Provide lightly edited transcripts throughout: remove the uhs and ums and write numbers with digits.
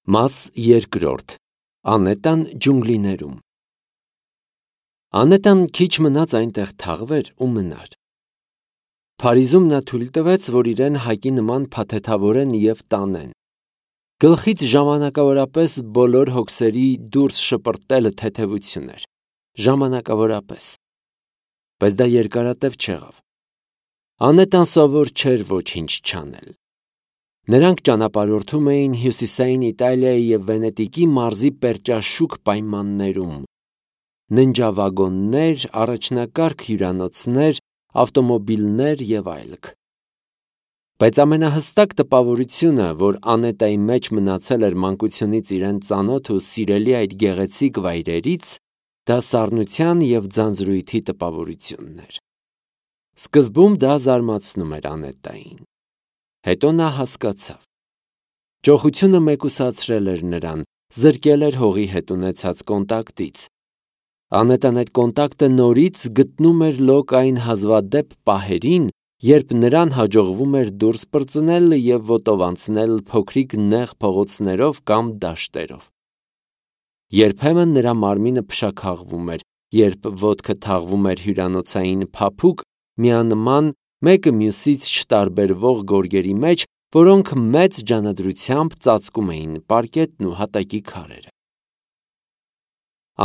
Մաս երկրորդ. Անետան ջունգլիներում։ Անետան քիչ մնաց այնտեղ թաղվեր ու մնար։ Փարիզում նա թույլ տվեց, որ իրեն հակի նման փաթեթավորեն և տանեն։ Գլխից ժամանակավորապես բոլոր հոգսերի դուրս շպրտելը թեթևություն էր, ժամանակավորապես, բայց դա երկարատև չեղավ։ Անետան սովոր չէր ոչինչ չանել։ Նրանք ճանապարհորդում էին հյուսիսային Իտալիայի և Վենետիկի մարզի պերճաշուք պայմաններում. ննջավագոններ, առաջնակարգ հյուրանոցներ, ավտոմոբիլներ և այլք։ Բայց ամենահստակ տպավորությունը, որ Անետայի մեջ մնացել էր մանկությունից իրեն ծանոթ ու սիրելի այդ գեղեցիկ վայրերից, դա սառնության և ձանձրույթի տպավորությունն էր։ Սկզբում դա զարմացնում էր Անետային։ Հետո նա հասկացավ։ Ճոխությունը մեկուսացրել էր նրան, զրկել էր հողի հետ ունեցած կոնտակտից։ Անետան այդ կոնտակտը նորից գտնում էր լոկ այն հազվադեպ պահերին, երբ նրան հաջողվում էր դուրս պրծնել և ոտով անցնել փոքրիկ նեղ փողոցներով կամ դաշտերով։ Երբեմն նրա մարմինը փշաքաղվում էր, երբ ոտքը թաղվում էր հյուրանոցային փափուկ, միանման, մեկը մյուսից չտարբերվող գորգերի մեջ, որոնք մեծ ջանադրությամբ ծածկում էին պարկետն ու հատակի քարերը։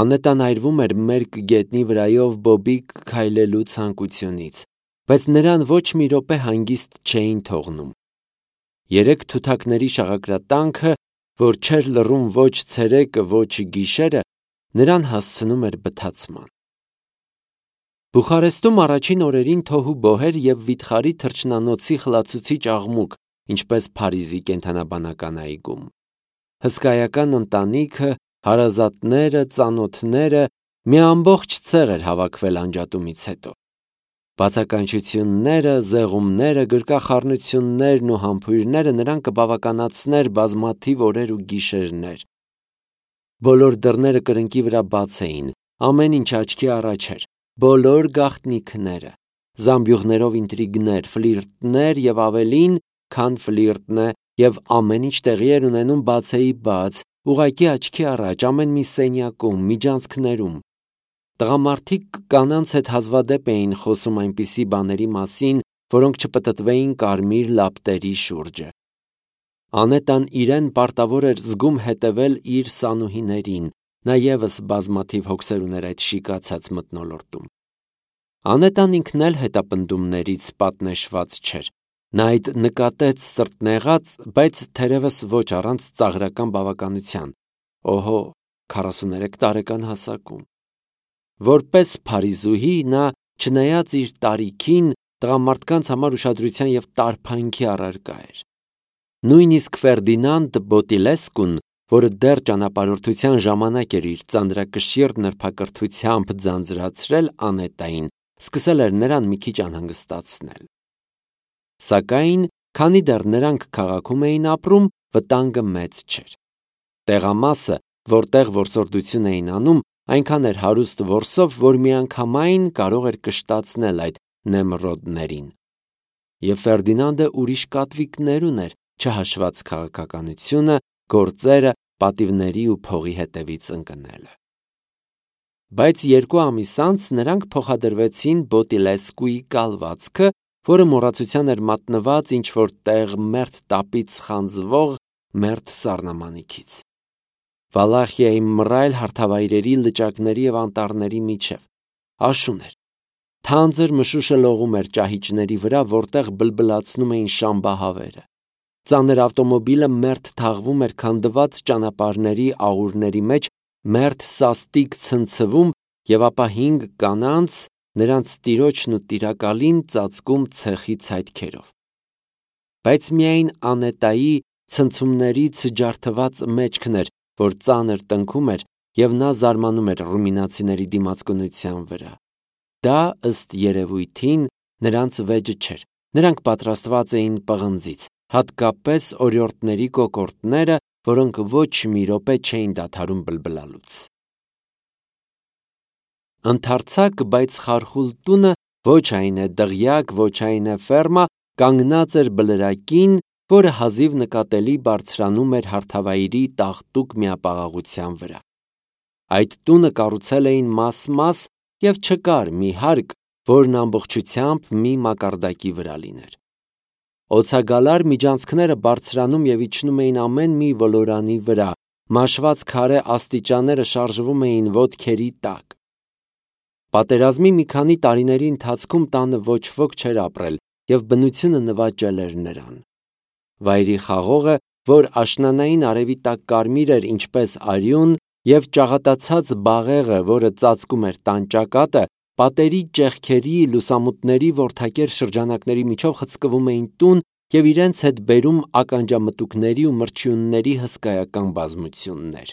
Անետան այրվում էր մերկ գետնի վրայով բոբիկ քայլելու ցանկությունից, բայց նրան ոչ մի րոպե հանգիստ չէին թողնում։ Երեք թութակների շաղակրատանքը, որ չէր լռում ոչ ցերեկը, ոչ գիշերը, նրան հասցնում էր բթացման։ Բուխարեստում առաջին օրերին թոհուբոհ էր և վիթխարի թռչնանոցի խլացուցիչ աղմուկ, ինչպես Փարիզի կենդանաբանական այգում։ Հսկայական ընտանիքը, հարազատները, ծանոթները, մի ամբողջ ցեղ էր հավաքվել անջատումից հետո։ Բացականչությունները, զեղումները, գրկախառնություններն ու համբույրները նրան կբավականացներ բազմաթիվ օրեր ու գիշերներ։ Բոլոր դռները կրկնակի վրա բաց էին, ամեն ինչ աչքի առաջ էր, բոլոր գաղտնիքները, զամբյուղներով ինտրիգներ, ֆլիրտներ և ավելին, քան ֆլիրտն է, և ամեն ինչ տեղի էր ունենում բացեի բաց, ուղղակի աչքի առաջ, ամեն մի սենյակում, միջանցքներում։ Տղամարդիկ կանանց հետ հազվադեպ էին խոսում այնպիսի բաների մասին, որոնք չպտտվեին կարմիր լապտերի շուրջը։ Անետան իրեն պարտավոր էր զգում հետևել իր սանուհիներին, նա ևս բազմաթիվ հոգսեր ուներ այդ շիկացած մթնոլորտում։ Անետան ինքն էլ հետապնդումներից պատնեշված չէր։ Նա այդ նկատեց սրտնեղած, բայց թերևս ոչ առանց ծաղրական բավականության, օհո, 43 տարեկան հասակում։ Որպես փարիզուհի նա, չնայած իր տարիքին, տղամարդկանց համար ուշադրության և տարբանքի առարկա էր։ Նույնիսկ Ֆերդինանդ Բոտիլեսկուն, որը դեռ ճանապարհորդության ժամանակ էր իր ծանրակշիռ նրբակրթությամբ ձանձրացրել Անետային, սկսել էր նրան մի քիչ անհանգստացնել։ Սակայն, քանի դեռ նրանք քաղաքում էին ապրում, վտանգը մեծ չէր։ Տեղամասը, որտեղ որսորդություն էին անում, այնքան էր հարուստ որսով, որ միանգամայն կարող էր կշտացնել այդ նեմրոդներին։ Եվ Ֆերդինանդը ուրիշ կատվիկներ ուներ, չհաշված քաղաքականությունը, գործերը, պատիվների ու փողի հետևից ընկնելը։ Բայց 2 ամիս անց նրանք փոխադրվեցին Բոտիլեսկուի կալվածքը, որը մոռացության էր մատնված ինչ-որ տեղ մերթ տապից խանձվող մերթ սառնամանիքից։ Վալախիայի մռայլ հարթավայրերի, լճակների և անտառների միջև աշուն էր։ Թանձր մշուշը լողում էր ճահիճների վրա, որտեղ բլբլացնում էին շամբահավերը։ Ծանր ավտոմոբիլը մերթ թաղվում էր քանդված ճանապարհների աղուրների մեջ, մերթ սաստիկ ցնցվում և ապա 5 կանանց, նրանց տիրոջն ու տիրակալին ծածկում ցեխի ցայտքերով։ Բայց միայն Անետայի ցնցումներից ջարդված մեջքն էր, որ ծանր տնքում էր, և նա զարմանում էր ռումինացիների դիմացկունության վրա։ Դա, ըստ երևույթին, նրանց վեճը չէր, նրանք պատրաստված էին պղնձից, հատկապես օրիորդների կոկորդները, որոնք ոչ մի րոպե չէին դադարում բլբլալուց։ Ընդարձակ, բայց խարխուլ տունը ոչ այն է դղյակ, ոչ այն է ֆերմա, կանգնած էր բլրակին, որը հազիվ նկատելի բարձրանում էր հարթավայրի տաղտուկ միապաղաղության վրա։ Այդ տունը կառուցել էին մաս-մաս և չկար մի հարկ, որն ամբողջությամբ մի մակարդակի վրա լիներ։ Օձագալար միջանցքները բարձրանում և իջնում էին ամեն մի ոլորանի վրա, մաշված քարե աստիճանները շարժվում էին ոտքերի տակ։ Պատերազմի մի քանի տարիների ընթացքում տանը ոչ ոք չէր ապրել, և բնությունը նվաճել էր նրան։ Վայրի խաղողը, որ աշնանային արևի տակ կարմիր էր ինչպես արյուն, և ճաղատացած բաղեղը, որը ծածկում էր տան ճակատը, պատերի ճեղքերի, լուսամուտների որդակեր շրջանակների միջով խցկվում էին տուն և իրենց հետ բերում ականջամտուկների ու մրջյունների հսկայական բազմություններ։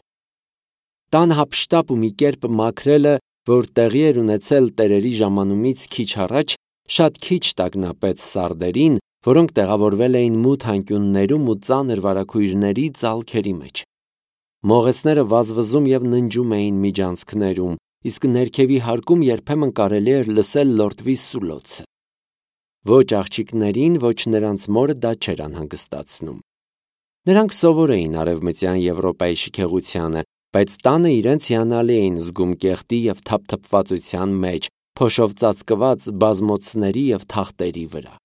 Տան հափշտապ ու մի կերպ մաքրելը, որ տեղի էր ունեցել տերերի ժամանումից քիչ առաջ, շատ քիչ տագնապեց սարդերին, որոնք տեղավորվել էին մութ անկյուններում ու ծանր վարագույրների ծալքերի մեջ։ Մողեսները վազվզում և ննջում էին միջանցքներում, իսկ ներքևի հարկում երբեմն կարելի էր լսել լորտվի սուլոցը։ Ոչ աղջիկներին, ոչ նրանց մորը դա չէր անհանգստացնում։ Նրանք սովոր էին Արևմտյան Եվրոպայի շքեղությանը, բայց տանը իրենց հիանալի էին զգում կեղտի և թափթփվածության մեջ, փոշով ծածկված բազմոցների և թախտերի վրա։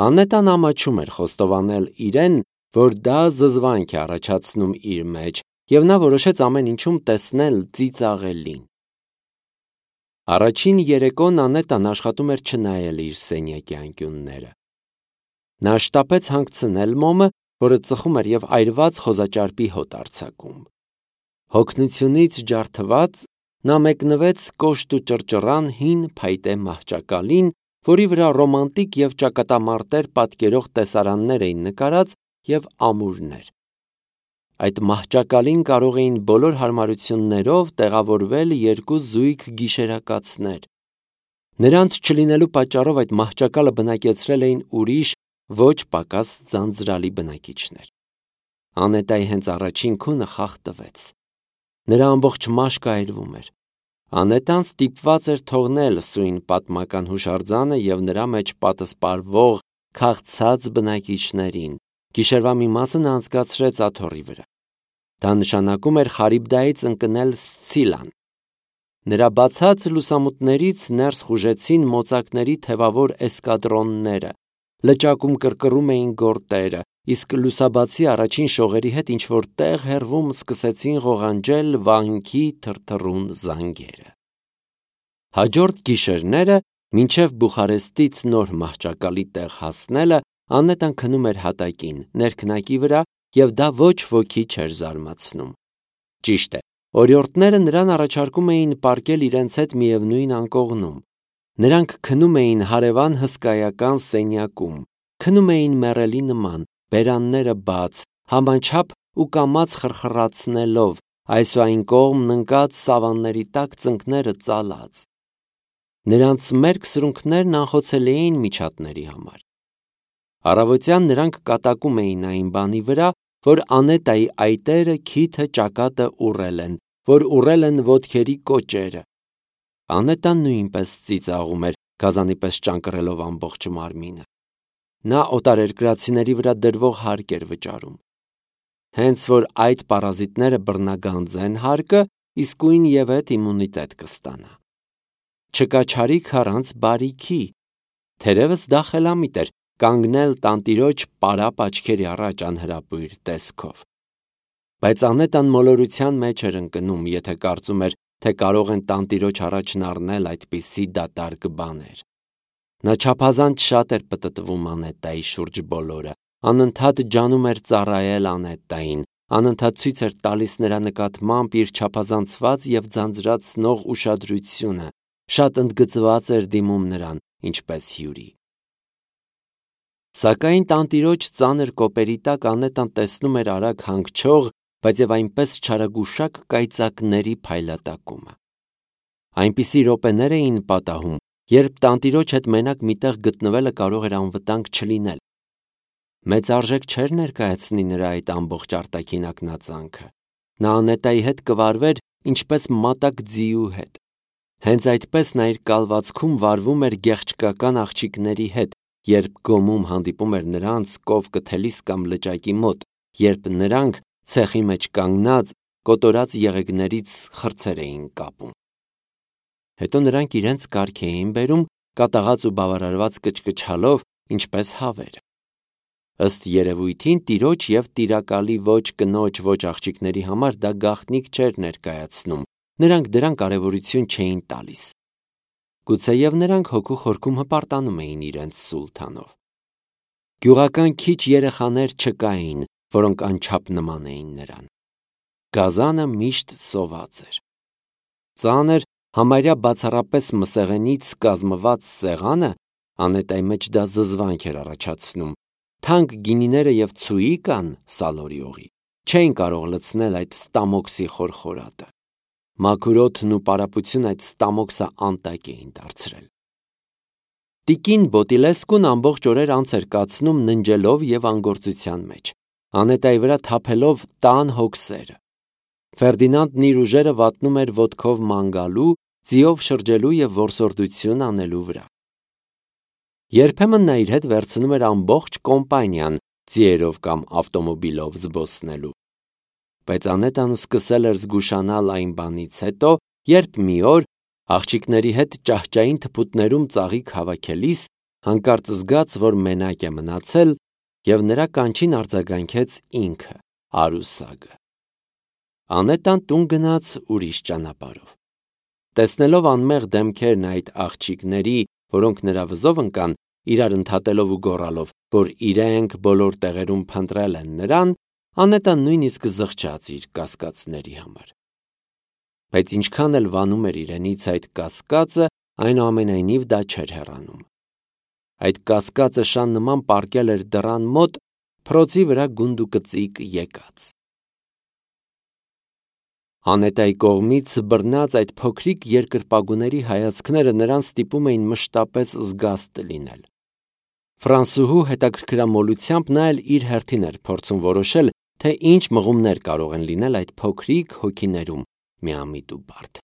Անետան ամաչում էր խոստովանել իրեն, որ դա զզվանք է առաջացնում իր մեջ, և նա որոշեց ամեն ինչում տեսնել ծիծաղելին։ Առաջին երեկոն Անետան աշխատում էր չնայել իր սենյակի անկյունները։ Նա շտապեց հանգցնել մոմը, որը ծխում էր և այրված խոզաճարպի հոտ արձակում։ Հոգնությունից ջարդված նա մեկնվեց կոշտ ու ճռճռան հին փայտե մահճակալին, որի վրա ռոմանտիկ և ճակատամարտեր պատկերող տեսարաններ էին նկարած և ամուրներ։ Այդ մահճակալին կարող էին բոլոր հարմարություններով տեղավորվել երկու զույգ գիշերակացներ։ Նրանց չլինելու պատճառով այդ մահճակալը բնակեցրել էին ուրիշ, ոչ պակաս ձանձրալի բնակիչներ։ Անետայի հենց առաջին քունը խախտվեց։ Նրա ամբողջ մաշկը այրվում էր։ Անետան ստիպված էր թողնել սույն պատմական հուշարձանը և նրա մեջ պատսպարվող քաղցած բնակիչներին։ Գիշերվա մի մասը նա անցկացրեց աթոռի վրա։ Դա նշանակում էր Խարիբդայից ընկնել Սցիլան։ Նրա բացած լուսամուտներից ներս խուժեցին մոծակների թևավոր էսկադրոնները, լճակում կռկռում էին գորտերը, իսկ լուսաբացի առաջին շողերի հետ ինչ-որ տեղ հեռվում սկսեցին ղողանջել վանքի թրթռուն զանգերը։ Հաջորդ գիշերները, մինչև Բուխարեստից նոր մահճակալի տեղ հասնելը, Անետան քնում էր հատակին, ներքնակի վրա, և դա ոչ ոքի չէր զարմացնում։ Ճիշտ է, օրիորդները նրան առաջարկում էին պառկել իրենց հետ միևնույն անկողնում։ Նրանք քնում էին հարևան հսկայական սենյակում, քնում էին մեռելի նման, բերանները բաց, համաչափ ու կամաց խրխրացնելով, այս ու այն կողմն ընկած սավանների տակ ծնկները ծալած։ Նրանց մերկ սրունքներն անխոցելի էին միջատների համար։ Առավոտյան նրանք կատակում էին այն բանի վրա, որ Անետայի այտերը, քիթը, ճակատը ուռել են, որ ուռել են ոտքերի կոճերը։ Անետան նույնպես ծիծաղում էր, գազանի պես ճանկռելով ամբողջ մարմինը։ Նա օտարերկրացիների վրա դրվող հարկ էր վճարում։ Հենց որ այդ պարազիտները բռնագանձեն հարկը, իսկույն և հետ իմունիտետ կստանա։ Չկա չարիք առանց բարիքի։ Թերևս դա խելամիտ էր կանգնել տանտիրոջ պարապ աչքերի առաջ անհրապույր տեսքով։ Բայց Անետան մոլորության մեջ էր ընկնում, եթե կարծում էր, թե կարող են տանտիրոջ առաջն առնել այդպիսի դատարկ բաներ։ Նա չափազանց շատ էր պտտվում Անետայի շուրջ բոլորը, անընդհատ ջանում էր ծառայել Անետային, անընդհատ ցույց էր տալիս նրա նկատմամբ իր չափազանցված և ձանձրացնող ուշադրությունը, շատ ընդգծված էր դիմում նրան, ինչպես հյուրի։ Սակայն տանտիրոջ ծանր կոպերի տակ Անետան տեսնում էր արագ հանգչող, բայց և այնպես չարագուշակ կայծակների փայլատակումը։ Այնպիսի րոպեներ էին պատահում, երբ տանտիրոջ հետ մենակ մի տեղ գտնվելը կարող էր անվտանգ չլինել։ Մեծ արժեք չէր ներկայացնի նրա այդ ամբողջ արտաքին ակնածանքը։ Նա Անետայի հետ կվարվեր ինչպես մատակ ձիու հետ։ Հենց այդպես նա իր կալվածքում վարվում էր գեղչկական աղջիկների հետ երբ գոմում հանդիպում էր նրանց կով կթելիս կամ լճակի մոտ, երբ նրանք ցեխի մեջ կանգնած կոտորած եղեգներից խրձեր էին կապում։ Հետո նրանք իրենց կարգ էին բերում կատաղած ու բավարարված կչկչալով, ինչպես հավերը։ Ըստ երևույթին տիրոջ և տիրակալի ոչ կնոջ ոչ աղջիկների համար դա գաղտնիք չէր ներկայացնում, նրանք դրան կարևորություն չէին տալիս։ Գուցեև նրանք հոգու խորքում հպարտանում էին իրենց սուլթանով։ Գյուղական քիչ երեխաներ չկային, որոնք անչափ նման էին նրան։ Գազանը միշտ սոված էր։ Ծանր, համարյա բացառապես մսեղենից կազմված սեղանը, անետայի մեջ դա զզվանք էր առաջացնում, թանկ գինիները և ցուիկան սալորիողի չէին կարող լցնել այդ ստամոքսի խորխորատը։ Մաքուր օդն ու պարապությունը այդ ստամոքսը անտակ էին դարձրել։ Տիկին Բոտիլեսկուն ամբողջ օրեր անց էր կացնում ննջելով և անգործության մեջ, անետայի վրա թափելով տան հոգսերը։ Ֆերդինանդն իր ուժերը վատնում էր ոտքով ման գալու, ձիով շրջելու և որսորդություն անելու վրա։ Երբեմն նա իր հետ վերցնում էր ամբողջ կոմպանիան ձիերով կամ ավտոմոբիլով զբոսնելու։ Բայց Անետան սկսել էր զգուշանալ այն բանից հետո, երբ մի օր, աղջիկների հետ ճահճային թփուտներում ծաղիկ հավաքելիս, հանկարծ զգաց, որ մենակ է մնացել, և նրա կանչին արձագանքեց ինքը, Արուսագը։ Անետան տուն գնաց ուրիշ ճանապարհով։ Տեսնելով անմեղ դեմքերն այդ աղջիկների, որոնք նրա վզով ընկան, իրար ընդհատելով ու գոռալով, որ իրենք բոլոր տեղերում փնտրել են նրան, Անետան նույնիսկ զղջաց իր կասկածների համար։ Բայց ինչքան էլ վանում էր իրենից այդ կասկածը, այնուամենայնիվ դա չէր հեռանում։ Այդ կասկածը շան նման պառկել էր դռան մոտ, փռոցի վրա գունդուկծիկ եկած։ Անետայի կողմից բռնած այդ փոքրիկ երկրպագուների հայացքները նրան ստիպում էին մշտապես զգաստ լինել։ Ֆրանսուհու հետաքրքրամոլությամբ նա էլ իր հերթին էր փորձում որոշել, թե ինչ մղումներ կարող են լինել այդ փոքրիկ հոգիներում միամիտ ու բարդ։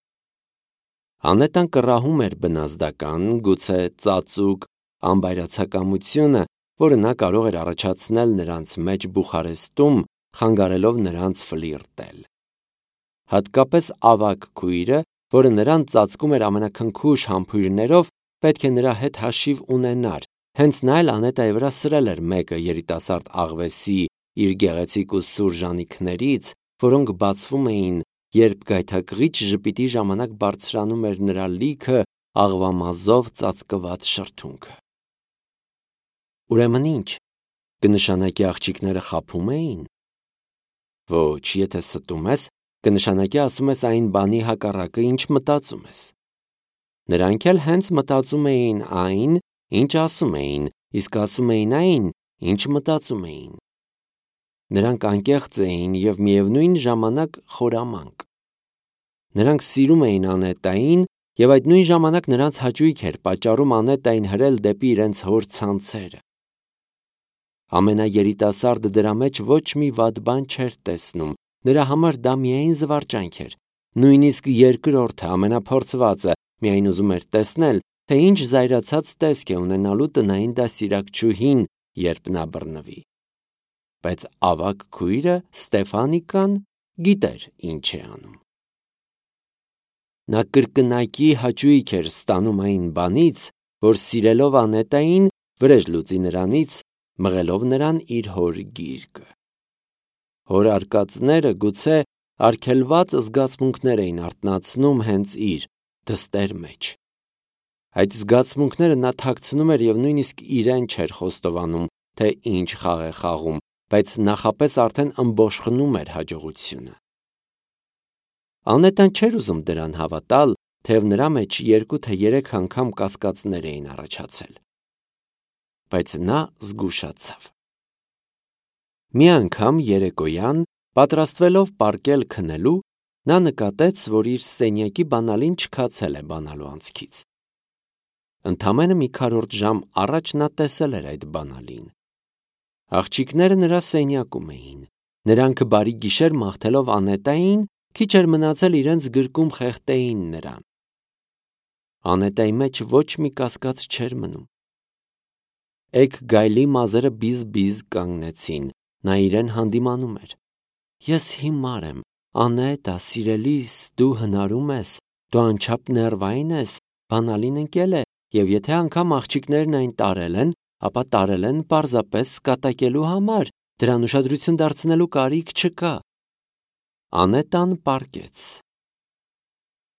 Անետան կռահում էր բնազդական, գուցե ծածուկ անբայրացակամությունը, որը նա կարող էր առաջացնել նրանց մեջ Բուխարեստում, խանգարելով նրանց ֆլիրտել։ Հատկապես ավագ քույրը, որը նրան ծածկում էր ամենաքնքուշ համբույրներով, պետք է նրա հետ հաշիվ ունենար, հենց նա էլ Անետայի վրա սրել էր մեկը երիտասարդ աղվեսի իր գեղեցիկ ու սուր ժանիքներից, որոնք բացվում էին, երբ գայթակղիչ ժպիտի ժամանակ բարձրանում էր նրա լիքը աղվամազով ծածկված շրթունքը։ Ուրեմն ինչ, կնշանակի աղջիկները խաբում էին։ Ոչ, եթե ստում ես, կնշանակի ասում ես այն բանի հակառակը, ինչ մտածում ես։ Նրանք էլ հենց մտածում էին այն, ինչ ասում էին, իսկ ասում էին այն, ինչ մտածում էին։ Նրանք անկեղծ էին և միևնույն ժամանակ խորամանկ։ Նրանք սիրում էին Անետային, և այդ նույն ժամանակ նրանց հաճույք էր պատճառում Անետային հրել դեպի իրենց հոր ցանցերը։ Ամենաերիտասարդը դրա մեջ ոչ մի վատ բան չէր տեսնում, նրա համար դա միայն զվարճանք էր։ Նույնիսկ երկրորդը, ամենափորձվածը, միայն ուզում էր տեսնել, թե ինչ զայրացած տեսք է ունենալու տնային դաստիարակչուհին, երբ նա բռնվի։ Բայց ավագ քույրը Ստեֆանիկան գիտեր ինչ է անում։ Նա կրկնակի հաճույք էր ստանում այն բանից, որ սիրելով Անետային վրեժ լուծի նրանից, մղելով նրան իր հոր գիրկը։ Հոր արկածները գուցե արգելված զգացմունքներ էին արթնացնում հենց իր դստեր մեջ։ Այդ զգացմունքները նա թաքցնում էր և նույնիսկ իրեն չէր խոստովանում, թե ինչ խաղ է խաղում, բայց նախապես արդեն ըմբոշխնում էր հաջողությունը։ Անետան չէր ուզում դրան հավատալ, թեև նրա մեջ 2 թե 3 անգամ կասկածներ էին առաջացել։ Բայց նա զգուշացավ։ Մի անգամ երեկոյան, պատրաստվելով պառկել քնելու, նա նկատեց, որ իր սենյակի բանալին չքացել է բանալու անցքից։ Ընդամենը մի քառորդ ժամ առաջ նա տեսել էր այդ բանալին։ Աղջիկները նրա սենյակում էին։ Նրանք բարի գիշեր մաղթելով Անետային, քիչ էր մնացել իրենց գրկում խեղդեին նրան։ Անետայի մեջ ոչ մի կասկած չէր մնում։ Էգ գայլի մազերը բիզ-բիզ կանգնեցին, նա իրեն հանդիմանում էր։ Ես հիմար եմ, Անետա, սիրելիս, դու հնարում ես, դու անչափ ներվային ես, բանալին ընկել է, եւ եթե անգամ աղջիկներն այն տարել են, ապա տարել են պարզապես կատակելու համար, դրան ուշադրություն դարձնելու կարիք չկա։ Անետան պառկեց։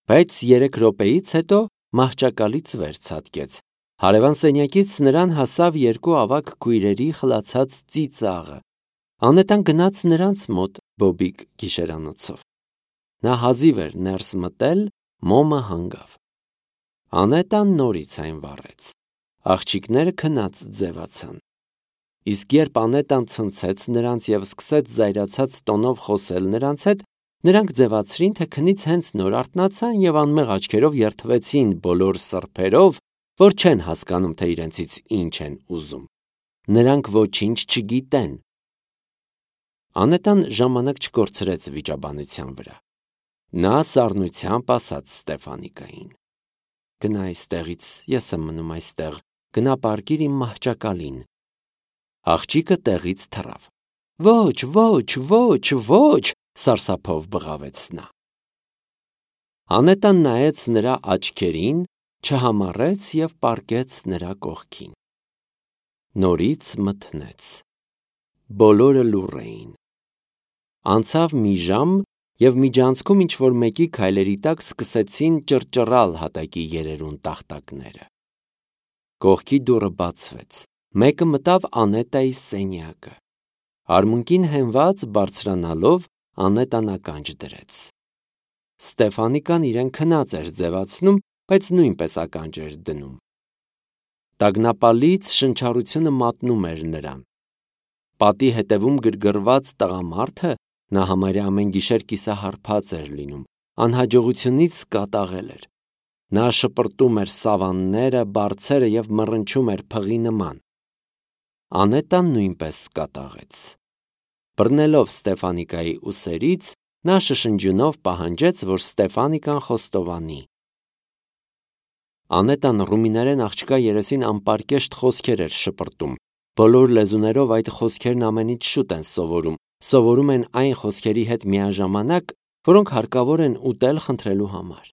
Բայց 3 րոպեից հետո մահճակալից վեր ցատկեց։ Հարևան սենյակից նրան հասավ 2 ավագ քույրերի խլացած ծիծաղը։ Անետան գնաց նրանց մոտ բոբիկ գիշերանոցով։ Նա հազիվ էր ներս մտել, մոմը հանգավ։ Անետան նորից այն վառեց։ Աղջիկները քնած ձևացան։ Իսկ երբ Անետան ցնցեց նրանց եւ սկսեց զայրացած տոնով խոսել նրանց հետ, նրանք ձևացրին, թե քնից հենց նոր արթնացան եւ անմեղ աչքերով երթվեցին բոլոր սրբերով, որ չեն հասկանում, թե իրենցից ինչ են ուզում։ Նրանք ոչինչ չգիտեն։ Անետան ժամանակ չկորցրեց վիճաբանության վրա։ Նա սառնությամբ ասաց Ստեֆանիկային. «Գնա այստեղից, ես եմ մնում այստեղ, գնա պառկիր իմ մահճակալին»։ Աղջիկը տեղից թռավ։ «Ոչ, ոչ, ոչ, ոչ», սարսափով բղավեց նա։ Անետան նայեց նրա աչքերին, չհամառեց եւ պառկեց նրա կողքին։ Նորից մթնեց։ Բոլորը լուռ էին։ Անցավ մի ժամ, եւ միջանցքում ինչ-որ մեկի քայլերի տակ սկսեցին ճռճռալ հատակի երերուն տախտակները։ Կողքի դուռը բացվեց։ Մեկը մտավ Անետայի սենյակը։ Արմունկին հենված բարձրանալով Անետան ականջ դրեց։ Ստեֆանիկան իրեն քնած էր ձևացնում, բայց նույնպես ականջ էր դնում։ Տագնապալից շնչառությունը մատնում էր նրան։ Պատի հետևում գրգռված տղամարդը, նա համարյա ամեն գիշեր կիսահարբած էր լինում, անհաջողությունից կատաղել էր։ Նա շպրտում էր սավանները, բարձերը եւ մռնչում էր փղի նման։ Անետան նույնպես կատաղեց։ Բռնելով Ստեֆանիկայի ուսերից, նա շշնջյունով պահանջեց, որ Ստեֆանիկան խոստովանի։ Անետան ռումիներեն աղջկա երեսին անպարկեշտ խոսքեր էր շպրտում։ Բոլոր լեզուներով այդ խոսքերն ամենից շուտ են սովորում են այն խոսքերի հետ միաժամանակ, որոնք հարկավոր են ուտել խնդրելու համար։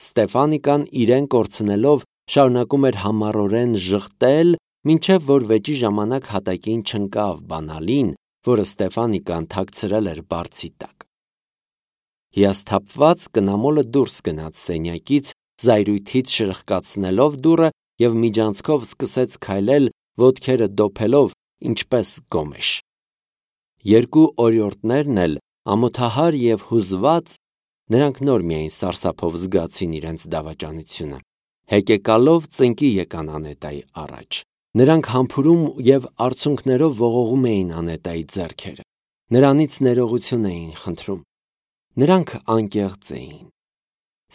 Ստեֆանիկան իրեն կորցնելով շարունակում էր համառորեն ժխտել, մինչև որ վեճի ժամանակ հատակին չընկավ բանալին, որը Ստեֆանիկան թաքցրել էր բարձի տակ։ Հիասթափված կնամոլը դուրս գնաց սենյակից, զայրույթից շրխկացնելով դուռը եւ միջանցքով սկսեց քայլել, ոտքերը դոփելով, ինչպես գոմեշ։ 2 օրիորդներն էլ ամոթահար եւ հուզված, նրանք նոր միայն սարսափով զգացին իրենց դավաճանությունը, հեկեկալով ծնկի եկան Անետայի առաջ։ Նրանք համբուրում եւ արցունքներով ողողում էին Անետայի ձեռքերը։ Նրանից ներողություն էին խնդրում։ Նրանք անկեղծ էին։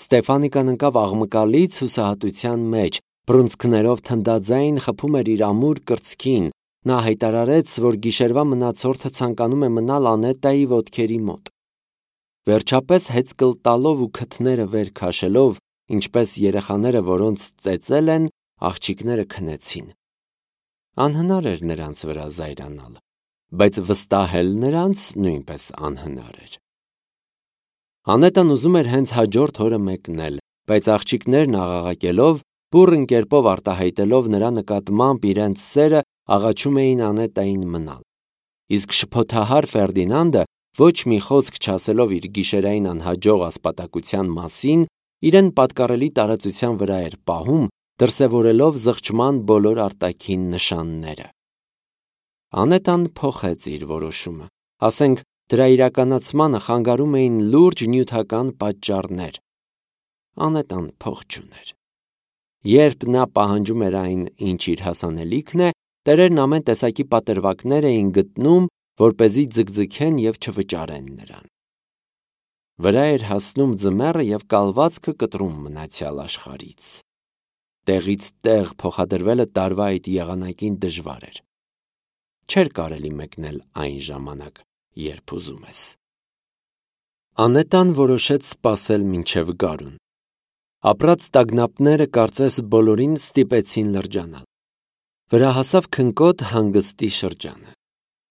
Ստեֆանիկան ընկավ աղմկալից հուսահատության մեջ, բռունցքներով թնդաձայն խփում էր իր ամուր կրծքին։ Նա հայտարարեց, որ գիշերվա մնացորդը ցանկանում է մնալ Անետայի ոտքերի մոտ։ Վերջապես հեծկլ տալով ու քթները վեր քաշելով, ինչպես երեխաները, որոնց ծեծել են, աղջիկները քնեցին։ Անհնար էր նրանց վրա զայրանալ, բայց վստահել նրանց նույնպես անհնար էր։ Անետան ուզում էր հենց հաջորդ օրը մեկնել, բայց աղջիկներն աղաղակելով, բուռն կերպով արտահայտելով նրա նկատմամբ իրենց սերը, աղաչում էին Անետային մնալ։ Իսկ շփոթահար Ֆերդինանդը, ոչ մի խոսք չասելով իր գիշերային անհաջող ասպատակության մասին, իրեն պատկառելի տարածության վրա էր պահում, դրսևորելով զղջման բոլոր արտաքին նշանները։ Անետան փոխեց իր որոշումը, ասենք դրա իրականացմանը խանգարում էին լուրջ նյութական պատճառներ։ Անետան փող չուներ։ Երբ նա պահանջում էր այն, ինչ իր հասանելիքն է, տերերն ամեն տեսակի պատրվակներ էին գտնում, որպեսզի ձգձգեն եւ չվճարեն նրան։ Վրա էր հասնում ձմեռը եւ կալվածքը կտրում մնացյալ աշխարհից։ Տեղից տեղ փոխադրվելը տարվա այդ եղանակին դժվար էր։ Չէր կարելի մեկնել այն ժամանակ, երբ ուզում ես։ Անետան որոշեց սպասել մինչև գարուն։ Ապրած տագնապները կարծես բոլորին ստիպեցին լրջանալ։ Վրա հասավ քնկոտ հանգստի շրջանը։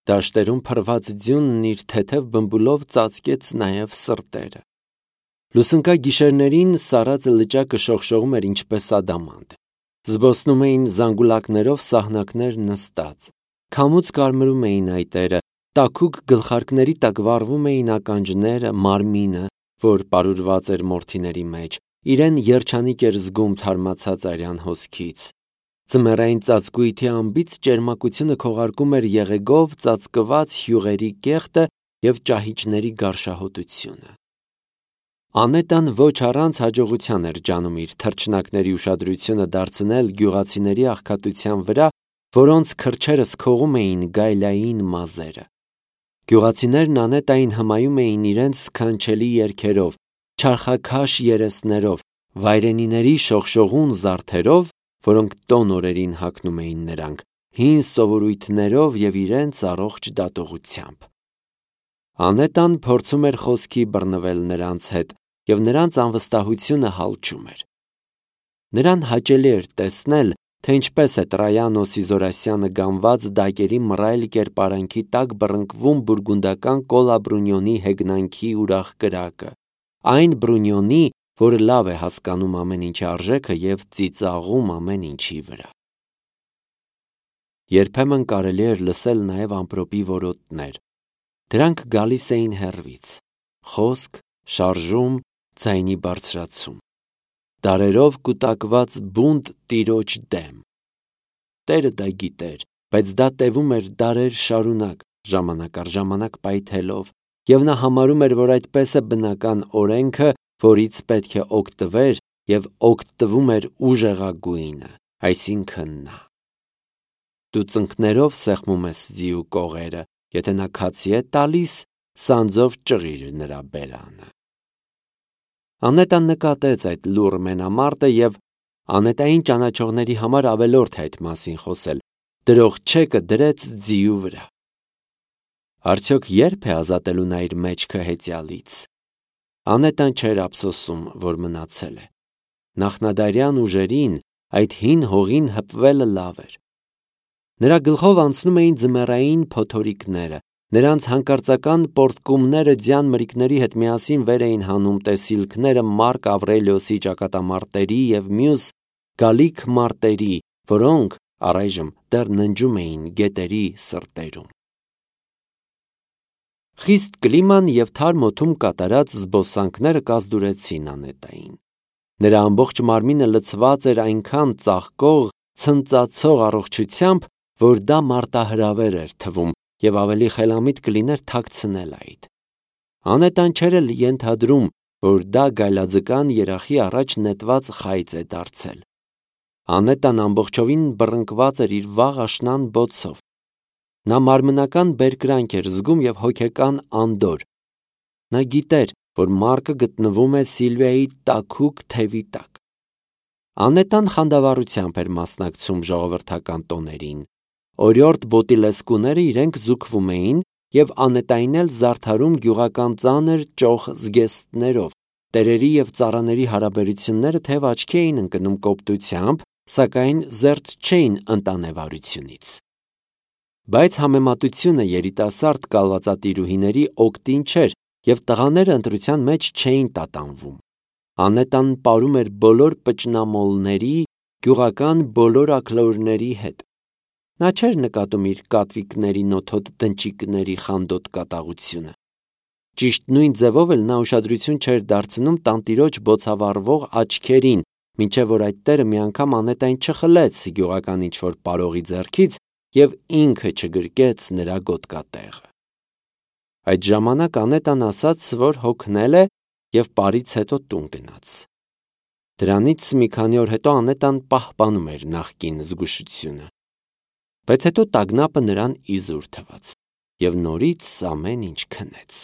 Դաշտերում փռված ձյունն իր թեթև բմբուլով ծածկեց նաև սրտերը։ Լուսնկա գիշերներին սարածը լճակը շողշողում էր ինչպես ադամանտ։ Զբոսնում էին զանգուլակներով սահնակներ նստած։ Քամուց կարմրում էին այտերը, տաքուկ գլխարկների տակ վառվում էին ականջները, մարմինը, որ պարուրված էր մորթիների մեջ, իրեն երջանիկ էր զգում թարմացած արյան հոսքից։ Ձմեռային ծածկույթի անբիծ ճերմակությունը քողարկում էր եղեգով ծածկված հյուրերի կեղտը և ճահիճների գարշահոտությունը։ Անետան ոչ առանց հաջողության էր ջանում իր թռչնակների ուշադրությունը դարձնել գյուղացիների աղքատության վրա, որոնց քրչերս քողում էին գայլային մազերը։ Գյուղացիներն Անետային հմայում էին իրենց սքանչելի երգերով, չարխաքաշ երեսներով, վայրենիների շողշողուն զարդերով, որոնք տոն օրերին հագնում էին նրանք, հին սովորույթներով և իրենց առողջ դատողությամբ։ Անետան փորձում էր խոսքի բռնվել նրանց հետ, և նրանց անվստահությունը հալչում էր։ Նրան հաճելի էր տեսնել, թե ինչպես է Տրայանո Սիզորասյանը գանված դակերի մռայլ կերպարանքի տակ բռնկվում բուրգունդական Կոլա Բրունյոնի հեգնանքի ուրախ կրակը, այն Բրունյոնի, որը լավ է հասկանում ամեն ինչի արժեքը և ծիծաղում ամեն ինչի վրա։ Երբեմն կարելի էր լսել նաև ամպրոպի որոտներ։ Դրանք գալիս էին հեռվից, խոսք, շարժում, ձայնի բարձրացում, դարերով կուտակված բունտ տիրոջ դեմ։ Տերը դա գիտեր, բայց դա տևում էր դարեր շարունակ, ժամանակ առ ժամանակ պայթելով, և նա համարում էր, որ այդպես է բնական օրենքը, որից պետք է օգտվեր, և օգտվում էր ուժեղագույնը, այսինքն նա։ Դու ծնկներով սեղմում ես ձիու կողերը, եթե նա քացի է տալիս, սանձով ճղիր նրա բերանը։ Անետան նկատեց այդ լուռ մենամարտը և Անետային ճանաչողների համար ավելորդ է այդ մասին խոսել, դրող չեկը դրեց ձիու վրա։ Արդյոք երբ է ազատելու նա իր մեջքը հեծյալից։ Անետան չէր ափսոսում, որ մնացել է։ Նախնադարյան ուժերին այդ հին հողին հպվելը լավ էր։ Նրա գլխով անցնում էին ձմեռային փոթորիկները, նրանց հանկարծական պոռթկումները ձյան մրրիկների հետ միասին վեր էին հանում տեսիլքները Մարկ Ավրելիոսի ճակատամարտերի և մյուս գալիք մարտերի, որոնք առայժմ դեռ ննջում էին գետերի սրտերում։ Խիստ կլիման և թարմ օդում կատարած զբոսանքները կազդուրեցին Անետային։ Նրա ամբողջ մարմինը լցված էր այնքան ծաղկող, ցնծացող առողջությամբ, որ դա մարտահրավեր էր թվում և ավելի խելամիտ կլիներ թաքցնել այդ։ Անետան չէր էլ ենթադրում, որ դա գայլաձկան երախի առաջ նետված խայծ է դարձել։ Անետան ամբողջովին բռնկված էր իր վաղ աշնան բոցով։ Նա մարմնական բերկրանք էր զգում և հոգեկան անդորր։ Նա գիտեր, որ Մարկը գտնվում է Սիլվիայի տաքուկ թևի տակ։ Անետան խանդավառությամբ էր մասնակցում ժողովրդական տոներին։ Օրիորդ բոտիլեսկուները իրենք զուգվում էին և Անետային էլ զարդարում գյուղական ծանր ճոխ զգեստներով, տերերի և ծառաների հարաբերությունները թև աչքի էին ընկնում կոպտությամբ, սակայն զերծ չէին ընտանեվարությունից։ Բայց համեմատությունը երիտասարդ կալվածատիրուհիների օգտին չէր, և տղաները ընտրության մեջ չէին տատանվում։ Անետան պարում էր բոլոր պճնամոլների, գյուղական բոլոր աքլորների հետ։ Նա չէր նկատում իր կատվիկների նոթոտ դնչիկների խանդոտ կատաղությունը։ Ճիշտ նույն ձևով էլ նա ուշադրություն չէր դարձնում տանտիրոջ բոցավառվող աչքերին, մինչև որ այդ տերը մի անգամ Անետային չխլեց գյուղական ինչ-որ պարողի ձեռքից և ինքը չգրկեց նրա գոտկատեղը։ Այդ ժամանակ Անետան ասաց, որ հոգնել է և պարից հետո տուն գնաց։ Դրանից մի քանի օր հետո Անետան պահպանում էր նախկին զգուշությունը։ Բայց հետո տագնապը նրան իզուր թվաց, և նորից ամեն ինչ քնեց։